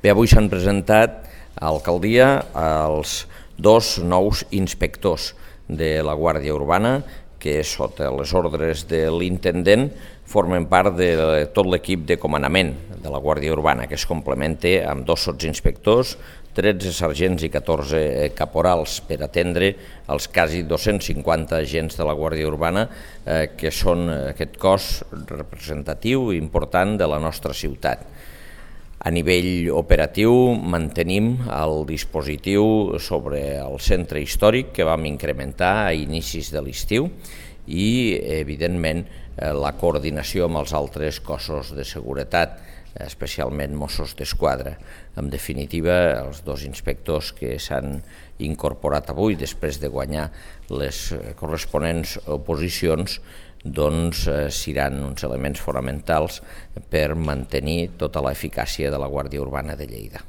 Bé, avui s'han presentat a l'alcaldia els dos nous inspectors de la Guàrdia Urbana que sota les ordres de l'intendent formen part de tot l'equip de comandament de la Guàrdia Urbana, que es complementa amb dos sotsinspectors, 13 sergents i 14 caporals per atendre els quasi 250 agents de la Guàrdia Urbana que són aquest cos representatiu i important de la nostra ciutat. A nivell operatiu mantenim el dispositiu sobre el centre històric que vam incrementar a inicis de l'estiu i, evidentment, la coordinació amb els altres cossos de seguretat, especialment Mossos d'Esquadra. En definitiva, els dos inspectors que s'han incorporat avui després de guanyar les corresponents oposicions doncs seran uns elements fonamentals per mantenir tota l'eficàcia de la Guàrdia Urbana de Lleida.